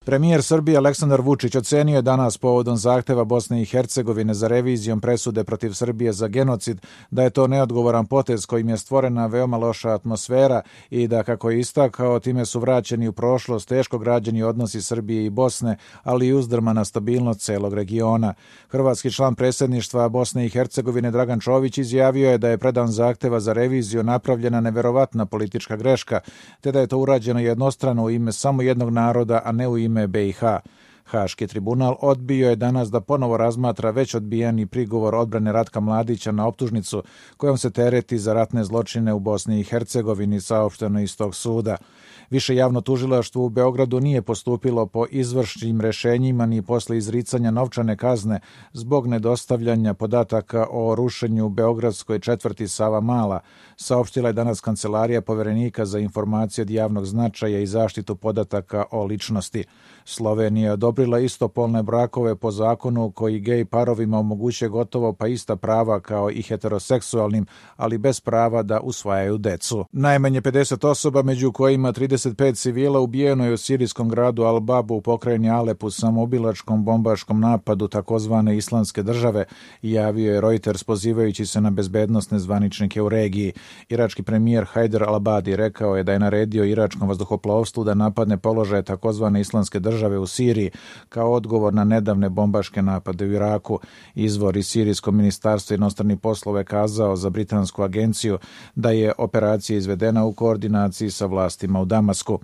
Premijer Srbije Aleksandar Vučić ocenio je danas povodom zahteva Bosne i Hercegovine za revizijom presude protiv Srbije za genocid da je to neodgovoran potez kojim je stvorena veoma loša atmosfera i da, kako je istakao, time su vraćeni u prošlost teško građeni odnosi Srbije i Bosne, ali i uzdrmana stabilnost celog regiona. Hrvatski član predsjedništva Bosne i Hercegovine Dragan Čović izjavio je da je predan zahteva za reviziju napravljena neverovatna politička greška, te da je to urađeno jednostrano u ime samo jednog naroda, a ne u ime BiH. Haški tribunal odbio je danas da ponovo razmatra već odbijeni prigovor odbrane Ratka Mladića na optužnicu kojom se tereti za ratne zločine u Bosni i Hercegovini, saopšteno iz tog suda. Više javno tužilaštvo u Beogradu nije postupilo po izvršnim rešenjima ni posle izricanja novčane kazne zbog nedostavljanja podataka o rušenju u beogradskoj četvrti Savamala, saopštila je danas Kancelarija Poverenika za informacije od javnog značaja i zaštitu podataka o ličnosti. Slovenija je odobrila istopolne brakove po zakonu koji gej parovima omogućuje gotovo pa ista prava kao i heteroseksualnim, ali bez prava da usvajaju decu. Najmanje 50 osoba, među kojima 35 civila, ubijeno je u sirijskom gradu Al-Babu u pokrajini Alep u samoubilačkom bombaškom napadu takozvane Islamske države, javio je Reuters pozivajući se na bezbednosne zvaničnike u regiji. Irački premijer Hajder al-Abadi rekao je da je naredio iračkom vazduhoplovstvu da napadne položaje takozvane Islamske države u Siriji kao odgovor na nedavne bombaške napade u Iraku. Izvor iz Sirijskog ministarstva inostranih poslova kazao za britansku agenciju da je operacija izvedena u koordinaciji sa vlastima u Damasku.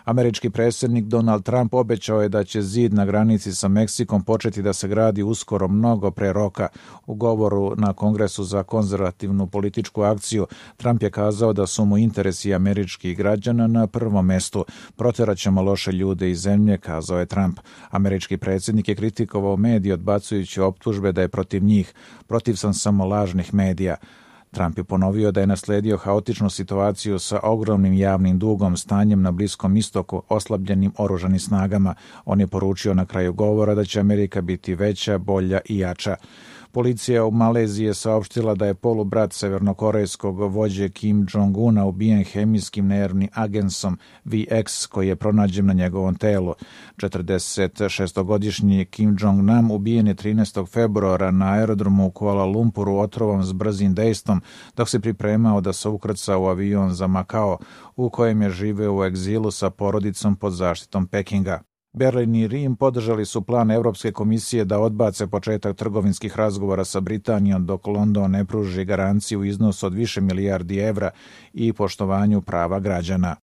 Američki predsjednik Donald Trump obećao je da će zid na granici sa Meksikom početi da se gradi uskoro, mnogo pre roka. U govoru na Kongresu za konzervativnu političku akciju Trump je kazao da su mu interesi američkih građana na prvom mestu. Proteraćemo loše ljude iz zemlje, kazao je Trump. Američki predsjednik je kritikovao medije odbacujući optužbe da je protiv njih. Protiv sam samo lažnih medija. Trump je ponovio da je nasledio haotičnu situaciju sa ogromnim javnim dugom, stanjem na Bliskom istoku, oslabljenim oružanim snagama. On je poručio na kraju govora da će Amerika biti veća, bolja i jača. Policija u Maleziji je saopštila da je polubrat severnokorejskog vođe Kim Jong-una ubijen hemijskim nervnim agensom VX koji je pronađen na njegovom telu. 46-godišnji Kim Jong-nam ubijen je 13. februara na aerodromu u Kuala Lumpuru otrovom s brzim dejstvom dok se pripremao da se ukrca u avion za Makao u kojem je živeo u egzilu sa porodicom pod zaštitom Pekinga. Berlin i Rim podržali su plan Evropske komisije da odbace početak trgovinskih razgovora sa Britanijom dok London ne pruži garanciju u iznosu od više milijardi evra i poštovanju prava građana.